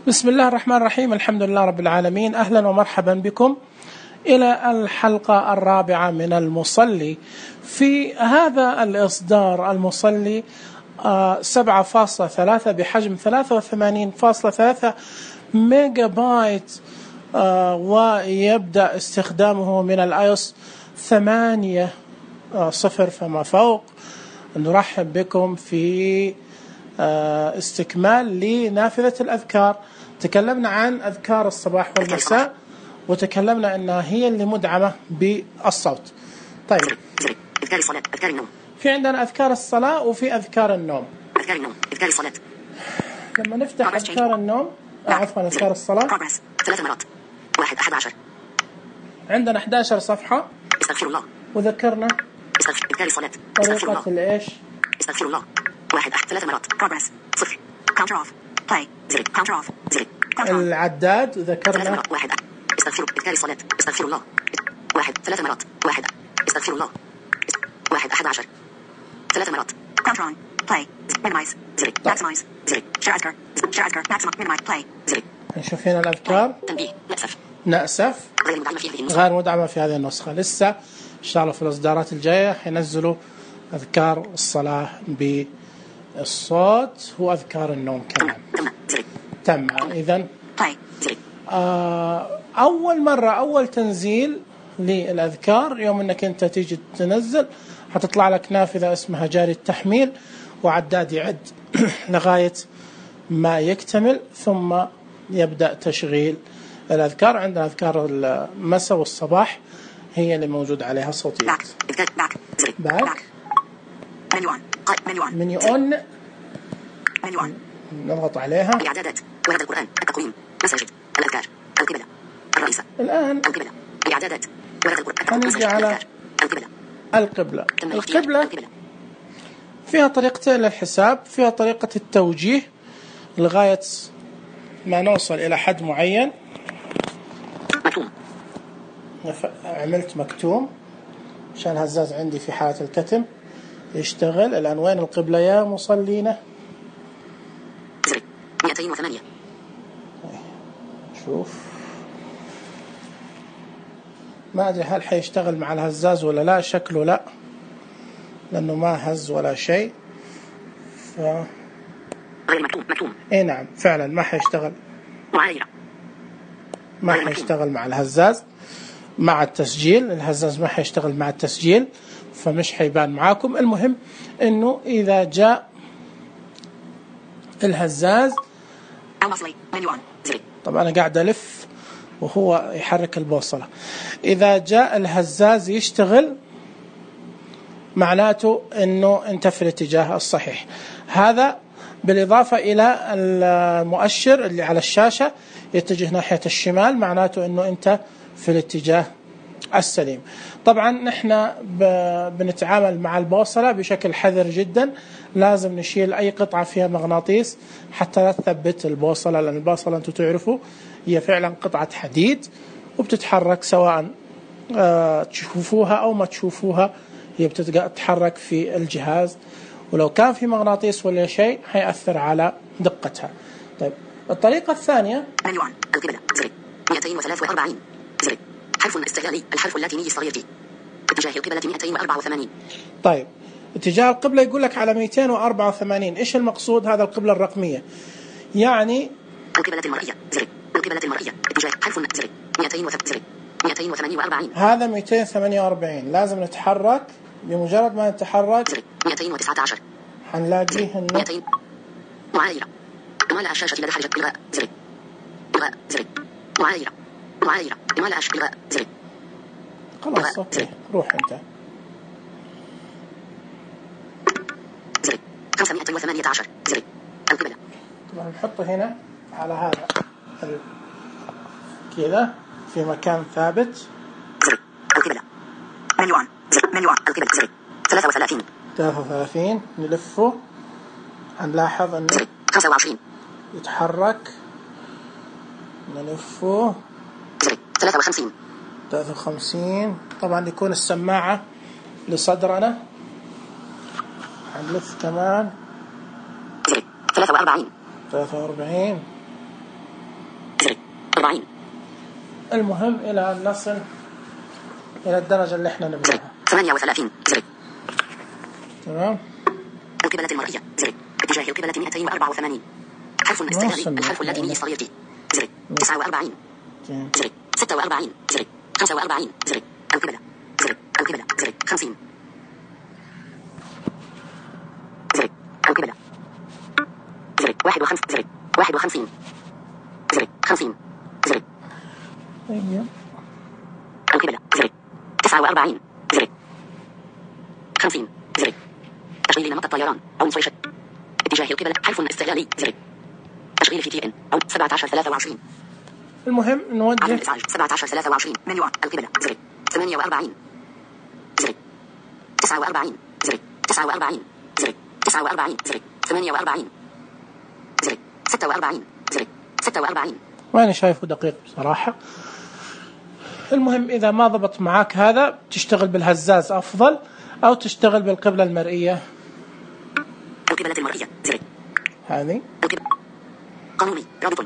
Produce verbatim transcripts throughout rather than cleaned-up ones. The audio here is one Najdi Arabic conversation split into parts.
بسم الله الرحمن الرحيم. الحمد لله رب العالمين. أهلا ومرحبا بكم إلى الحلقة الرابعة من المصلي. في هذا الإصدار المصلي سبعة فاصلة ثلاثة بحجم ثلاثة وثمانين فاصلة ثلاثة ميجا بايت، ويبدأ استخدامه من الآيوس ثمانية صفر فما فوق. نرحب بكم في استكمال لنافذة الأذكار. تكلمنا عن أذكار الصباح والمساء وتكلمنا أنها هي اللي مدعمة بالصوت. طيب، أذكار الصلاة، أذكار النوم. في عندنا أذكار الصلاة وفي أذكار النوم. أذكار النوم، أذكار الصلاة. لما نفتح أذكار النوم عفوا أذكار الصلاة ثلاث مرات. واحد أحد عشر. عندنا أحد عشر صفحة. استغفر الله. وذكرنا استغفر أذكار الصلاة. طريقة الإيش؟ استغفر الله. واحد أحد ثلاث مرات. progress صفر. counter off. play زر. counter off زر. العداد ذكرنا. واحد استغفر أذكار الصلاة. استغفر الله. واحد ثلاث مرات. واحد استغفر الله. واحد أحد عشر. ثلاث مرات. counter on. play minimize زر. maximize زر. share أذكار. share أذكار. maximize minimize play زر. نشوف هنا الأذكار. تنبيه نأسف. نأسف غير مدعمة في هذه النسخة. غير مدعمة في هذه النسخة. لسه إن شاء الله في الإصدارات الجاية حينزلوا أذكار الصلاة بالصوت وأذكار النوم كمان. تم. إذن آه أول مرة أول تنزيل للأذكار يوم أنك أنت تيجي تنزل هتطلع لك نافذة اسمها جاري التحميل، وعداد يعد لغاية ما يكتمل ثم يبدأ تشغيل الأذكار. عندنا أذكار المساء والصباح هي اللي موجود عليها صوتيات. باك باك منيون منيون منيون منيون نضغط عليها. الإعدادات، ورد القرآن، التقويم، مساجد، الأذكار، القبلة، الرئيسة. الآن القبلة، الإعدادات، ورد القرآن، هنيجي على القبلة. القبلة. القبلة فيها طريقتين للحساب، فيها طريقة التوجيه لغاية ما نوصل إلى حد معين. مكتوم. عملت مكتوم عشان هزاز عندي في حالة الكتم يشتغل. الآن وين القبلة يا مصلينا؟ مئتين وثمانية. شوف ما أدري هل حيشتغل مع الهزاز ولا لا. شكله لا، لأنه ما هز ولا شيء. ف... غير مكتوم. مكتوم. إيه نعم فعلا ما حيشتغل. معايرة. ما حيشتغل مع الهزاز مع التسجيل. الهزاز ما حيشتغل مع التسجيل فمش حيبان معاكم. المهم إنه إذا جاء الهزاز طبعا أنا قاعد ألف وهو يحرك البوصلة. إذا جاء الهزاز يشتغل معناته أنه أنت في الاتجاه الصحيح. هذا بالإضافة إلى المؤشر اللي على الشاشة يتجه ناحية الشمال، معناته أنه أنت في الاتجاه السليم. طبعا نحن بنتعامل مع البوصلة بشكل حذر جدا. لازم نشيل أي قطعة فيها مغناطيس حتى لا تثبت البوصلة، لأن البوصلة أنتم تعرفوا هي فعلا قطعة حديد وبتتحرك سواء تشوفوها أو ما تشوفوها، هي بتتحرك في الجهاز، ولو كان في مغناطيس ولا شيء هيأثر على دقتها. طيب الطريقة الثانية منيون القبلة زر مئتين وثلاثة وأربعين زر حرف استغلالي الحرف اللاتيني الصغير في اتجاه القبلة مئتين وأربعة وثمانين. طيب اتجاه القبلة يقول لك على مئتين وأربعة وثمانين. إيش المقصود؟ هذا القبلة الرقمية، يعني القبلة المرئية زر القبلة المرئية اتجاه حرف زر مئتين زر مئتين وثمانية وأربعين. هذا مئتين وثمانية وأربعين. لازم نتحرك. بمجرد ما نتحرك زر مئتين وتسعة عشر حنلاقيه إنه مئتين. معايرة إمالة الشاشة إلى حركة إلغاء زر إلغاء زر معايرة معايرة إمالة الشاشة إلغاء زر. خلاص أوكي روح أنت. زر خمسمائة وثمانية عشر زر القبلة. طبعا نحطه هنا على هذا كذا في مكان ثابت. زر القبلة منيون زر منيون القبلة زر ثلاثة وثلاثين ثلاثة وثلاثين. نلفه هنلاحظ أنه خمسة وعشرين يتحرك. نلفه زر ثلاثة وخمسين ثلاثة وخمسين. طبعا يكون السماعة لصدرنا. هنلف كمان زر ثلاثة وأربعين ثلاثة وأربعين أربعين. المهم إلى أن نصل إلى الدرجة اللي إحنا نبغاها. ثمانية وثلاثين. زر. تمام. القبلة المرئية. زر. اتجاه القبلة مئتين وأربعة وثمانين. حرف استعلالي. الحرف اللاتيني الصغير. زر. تسعة وأربعين. زر. ستة وأربعين. زر. خمسة وأربعين. زر. القبلة. زر. القبلة. زر. خمسين. زر. القبلة. زر. واحد وخمس. زر. واحد وخمسين. زر. خمسين. زر. أيوة. القبلة. زر. تسعة وأربعين. زر. خمسين. زر. تشغيل نمط الطيران أو نصيشة. اتجاه القبلة. حرف استعلالي. زر. تشغيل في تي ان أو سبعة عشر ثلاثة وعشرين. المهم نوجه عدم الإزعاج. سبعة عشر ثلاثة وعشرين. منيو القبلة. زر. ثمانية وأربعين. زر. تسعة وأربعين. زر. تسعة وأربعين. زر. تسعة وأربعين. زر. ثمانية وأربعين. زر. ستة وأربعين. زر. ستة وأربعين. وأنا شايفه دقيق بصراحة. المهم إذا ما ضبط معك هذا تشتغل بالهزاز أفضل أو تشتغل بالقبلة المرئية. القبلة المرئية. زر. هذه. القبلة. قانوني. رابط.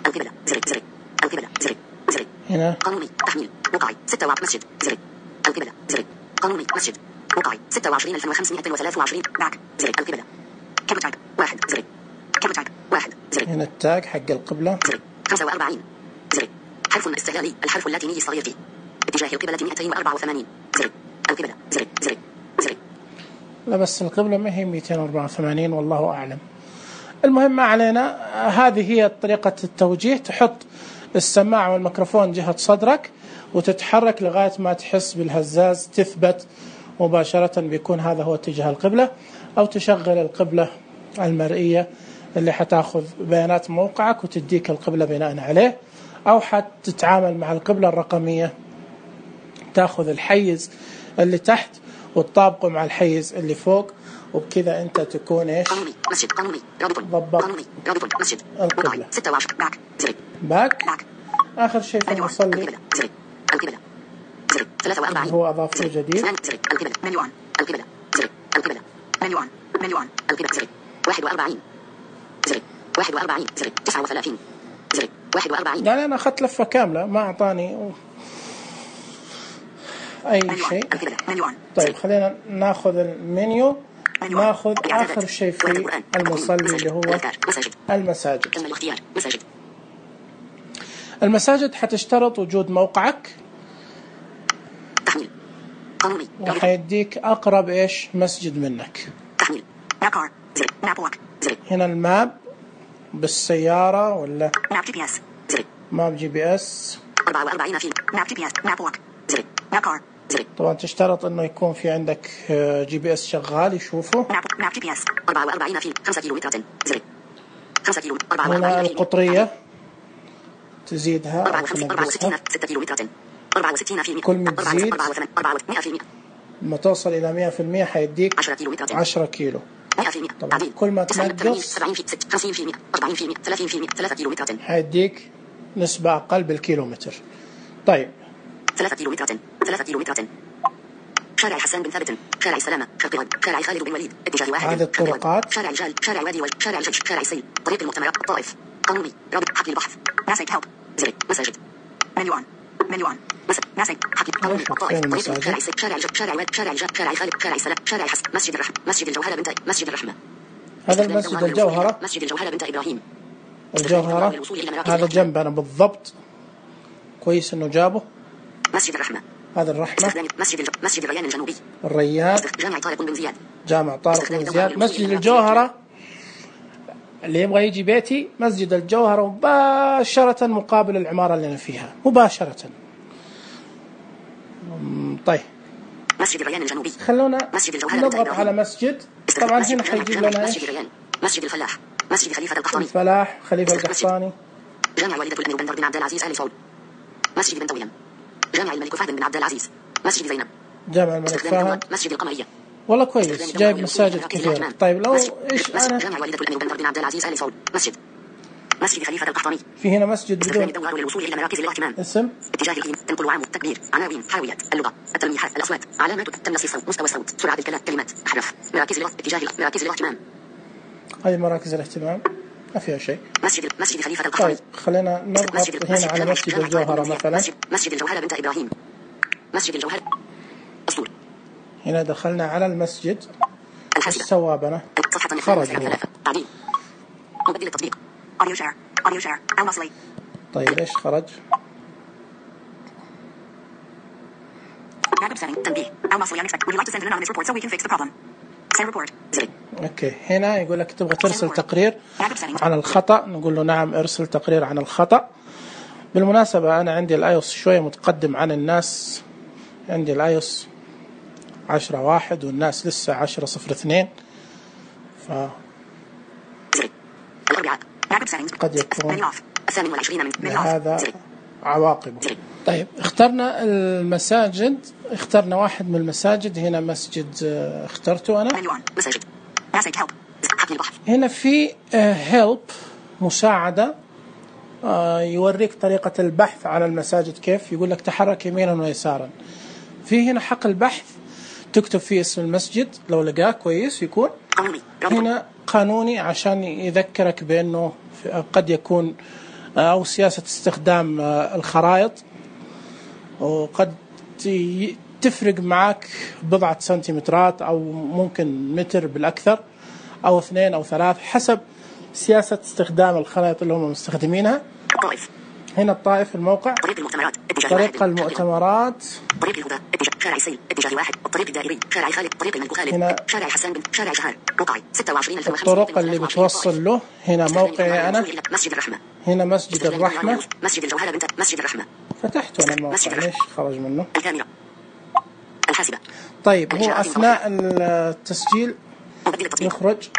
القبلة. زر. زر. القبلة. زر. زر. هنا. قانوني. تحميل. وقعي. ستة وعشرين. مسجد. زر. القبلة. زر. قانوني. مسجد. وقعي. ستة وعشرين ألف وخمسمائة وثلاثة وعشرين. باك. زر. القبلة. كم تايب. واحد. زر. كم تايب. واحد. زر. هنا التاج حق القبلة. زر. خمسة وأربعين. زر. حرف استعلالي. الحرف اللاتيني الصغير. اتجاه القبلة مئتين وأربعة وثمانين. زر. القبلة. زر. زر. زر. لا بس القبلة ما هي مئتين وأربعة وثمانين والله أعلم. المهم ما علينا. هذه هي طريقة التوجيه. تحط السماعة والميكروفون جهة صدرك وتتحرك لغاية ما تحس بالهزاز تثبت مباشرة بيكون هذا هو اتجاه القبلة، أو تشغل القبلة المرئية اللي حتاخذ بيانات موقعك وتديك القبلة بناء عليه، أو حتتعامل مع القبلة الرقمية تاخذ الحيز اللي تحت وتطابقه مع الحيز اللي فوق، وبكذا أنت تكون إيش؟ قانوني. مسجد. قانوني. رابط. ضبط. قانوني. رابط. مسجد. القبلة. ستة وعشرين. باك. زر. باك. باك. آخر شيء في المصلي. القبلة. زر. القبلة. زر. ثلاثة وأربعين. هو أضافه جديد. زر. القبلة. منيوان. القبلة. زر. القبلة. منيوان. منيوان. القبلة. زر. واحد وأربعين. زر. واحد وأربعين. زر. تسعة وثلاثين. زر. واحد وأربعين. يعني أنا أخذت لفة كاملة ما أعطاني أي شيء. طيب خلينا ناخذ المنيو. ناخذ آخر شيء في المصلي اللي هو المساجد. المساجد حتشترط وجود موقعك تحميل قانوني، وحيديك أقرب إيش مسجد منك. تحميل مابار زر مابوك زر. هنا الماب بالسيارة ولا ماب جي بي اس زر. ماب جي بي اس أربعة وأربعين في ماب جي بي اس مابوك زر مابار زر. طبعا تشترط انه يكون في عندك جي بي اس شغال يشوفه. ماب ماب جي بي اس أربعة وأربعين في خمسة كيلومتر زر خمسة كيلو. هنا القطرية تزيدها أربعة وستين ستة كيلومتر أربعة وستين في كل ما تزيد أربعة مئة في لما توصل إلى مئة في المئة حيديك عشرة كيلومتر عشرة كيلو. مئة في المئة طبعا كل ما تنقص سبعين في خمسين في المئة أربعين في المئة ثلاثين في المئة ثلاثة كيلومتر حيديك نسبة أقل بالكيلومتر. طيب ثلاثة كيلومتر ثلاثة كيلومتر. شارع حسان بن ثابت شارع السلامة شرق غد شارع خالد بن وليد اتجاه واحد. هذه الطرقات. شارع الجال شارع وادي وجه شارع الجيش شارع السيل طريق المؤتمرات الطائف قانوني رابط حقل البحث ناسك هيلب زر مساجد منيوان منيوان ناسك حقل قانوني الطائف طريق شارع السيل شارع الجيش شارع وادي شارع الجال شارع خالد شارع السلام شارع الحسن مسجد الرحمة مسجد الجوهرة بنت مسجد الرحمة. هذا المسجد الجوهرة مسجد الجوهرة بنت إبراهيم الجوهرة هذا جنبنا بالضبط. كويس إنه جابه. مسجد الرحمة هذا الرحمة. مسجد الج... مسجد الريان الجنوبي الريان. جامع طارق بن زياد جامع طارق بن زياد. مسجد الجوهرة اللي يبغى يجي بيتي مسجد الجوهرة مباشرة مقابل العمارة اللي أنا فيها مباشرة. طيب مسجد الريان الجنوبي. خلونا نضغط على مسجد. طبعا هنا حيجيب لنا ايش؟ مسجد الفلاح مسجد خليفة القحطاني الفلاح خليفة القحطاني. جامع والدة الأمير بن عبد العزيز آل سعود مسجد بن تويم جامع الملك فهد بن عبد العزيز مسجد زينب جامع الملك فهد مسجد القمرية. والله كويس جايب مساجد كثيرة. طيب لو ايش انا جامع والدة الأمير بن عبد العزيز آل سعود مسجد مسجد خليفة القحطاني. في هنا مسجد بدون الدوار للوصول إلى مراكز الاهتمام اسم اتجاه القيم تنقل وعام التكبير عناوين حاويات اللغة التلميحات الأصوات علامات تمنص الصوت مستوى الصوت سرعة الكلام كلمات أحرف مراكز اتجاه مراكز الاهتمام. هذه مراكز الاهتمام. ما فيها شيء. مسجد مسجد خليفة القحطاني. طيب خلينا نضغط هنا على مسجد الجوهرة مثلا. مسجد الجوهرة بنت إبراهيم. مسجد الجوهرة. أسطول. هنا دخلنا على المسجد. الحاسبة. السوابنة. خرج. تعديل. مبدل التطبيق. أوديو شير. أوديو شير. المصلي. طيب إيش خرج؟ تنبيه. المصلي unexpected. Would you like to send an anonymous report so we can fix the problem? Send report. زر. اوكي هنا يقول لك تبغى ترسل تقرير عن الخطأ، نقول له نعم ارسل تقرير عن الخطأ. بالمناسبة أنا عندي الآيوس شوية متقدم عن الناس، عندي الآيوس عشرة واحد والناس لسه عشرة صفر اثنين، ف قد يكون هذا عواقبه. طيب اخترنا المساجد، اخترنا واحد من المساجد. هنا مسجد اخترته أنا. هنا في هيلب مساعدة، يوريك طريقة البحث على المساجد كيف. يقول لك تحرك يمينا ويسارا. في هنا حق البحث تكتب فيه اسم المسجد لو لقاه كويس يكون. هنا قانوني عشان يذكرك بأنه قد يكون أو سياسة استخدام الخرائط، وقد تفرق معك بضعة سنتيمترات أو ممكن متر بالأكثر أو اثنين أو ثلاث حسب سياسة استخدام الخرائط اللي هم مستخدمينها. الطائف. هنا الطائف الموقع. طريق المؤتمرات. طريق المؤتمرات. طريق الهدى. اتجاه شارع سيل. اتجاه واحد. الطريق الدائري. شارع خالد. طريق الملك خالد. هنا شارع حسان بن. شارع شهر. رقعي. ستة وعشرين ألف وخمسمائة. الطرق اللي بتوصل له. هنا موقعي أنا. مسجد الرحمة. هنا مسجد الرحمة. مسجد الجوهرة بنت. مسجد الرحمة. فتحت أنا الموقع ليش خرج منه؟ الكاميرا. الحاسبة. طيب هو أثناء التسجيل يخرج،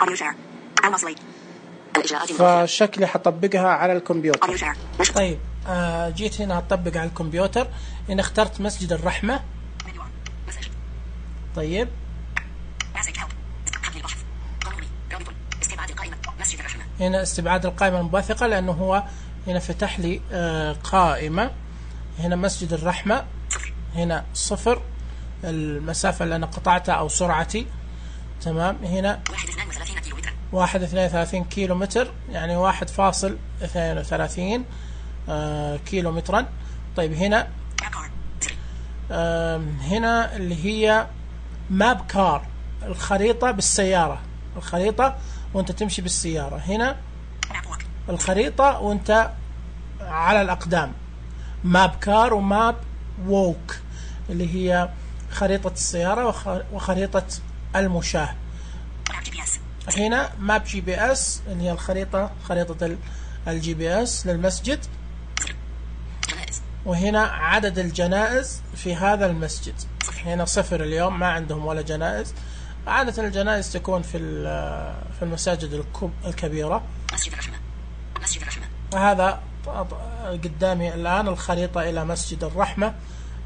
فشكلي حطبقها على الكمبيوتر. طيب آه جيت هنا أطبق على الكمبيوتر. هنا اخترت مسجد الرحمة. طيب هنا استبعاد القائمة المنبثقة لأنه هو هنا فتح لي آه قائمة. هنا مسجد الرحمة. هنا صفر المسافة اللي أنا قطعتها أو سرعتي. تمام. هنا واحد اثنين وثلاثين كيلو متر، يعني واحد فاصل اثنين وثلاثين آه كيلو مترا. طيب هنا آه هنا اللي هي ماب كار، الخريطة بالسيارة، الخريطة وانت تمشي بالسيارة. هنا الخريطة وانت على الأقدام، ماب كار وماب ووك اللي هي خريطة السيارة وخريطة المشاة. هنا ماب جي بي اس اللي هي الخريطة، خريطة الجي بي اس للمسجد. وهنا عدد الجنائز في هذا المسجد. هنا صفر اليوم، ما عندهم ولا جنائز. عادة الجنائز تكون في في المساجد الكبيرة. مسجد الرحمة. مسجد الرحمة. وهذا قدامي الآن الخريطة إلى مسجد الرحمة.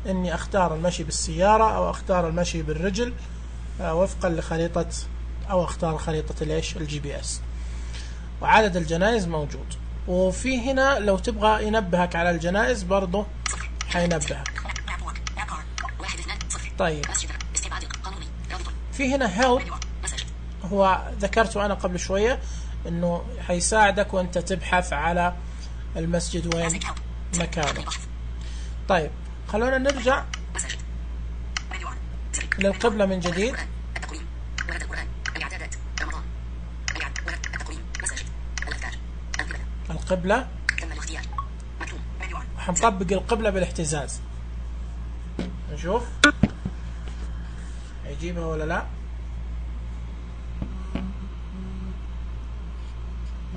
إني أختار المشي بالسيارة أو أختار المشي بالرجل وفقا لخريطة، أو أختار خريطة الإيش الجي بي إس. وعدد الجنائز موجود. وفي هنا لو تبغى ينبهك على الجنائز برضه حينبهك. طيب في هنا هيلب، هو ذكرته أنا قبل شوية إنه حيساعدك وأنت تبحث على المسجد وين مكانه. طيب خلونا نرجع للقبلة من جديد. القبلة حنطبق القبلة بالاهتزاز، نشوف يجيبها ولا لا.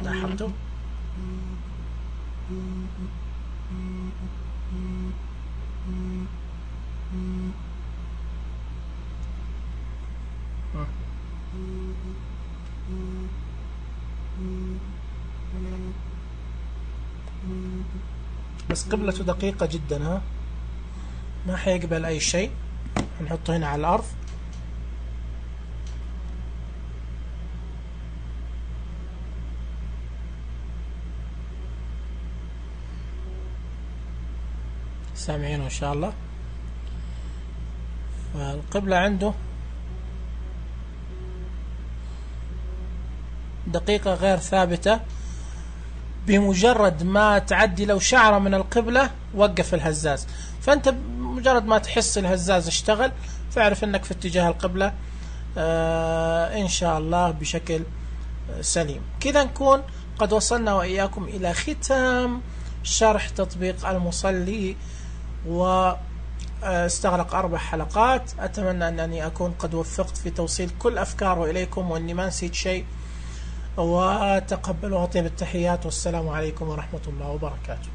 لاحظتوا بس قبلته دقيقة جدا، ها ما حيقبل أي شيء. هنحطه هنا على الأرض. سامعينه إن شاء الله. فالقبلة عنده دقيقة غير ثابتة، بمجرد ما تعدي لو شعرة من القبلة وقف الهزاز. فأنت بمجرد ما تحس الهزاز اشتغل فاعرف أنك في اتجاه القبلة آه إن شاء الله بشكل سليم. كذا نكون قد وصلنا وإياكم إلى ختام شرح تطبيق المصلي، واستغرق أربع حلقات. أتمنى أنني أكون قد وفقت في توصيل كل أفكاره إليكم وأني ما نسيت شيء، وتقبلوا طيب التحيات، والسلام عليكم ورحمة الله وبركاته.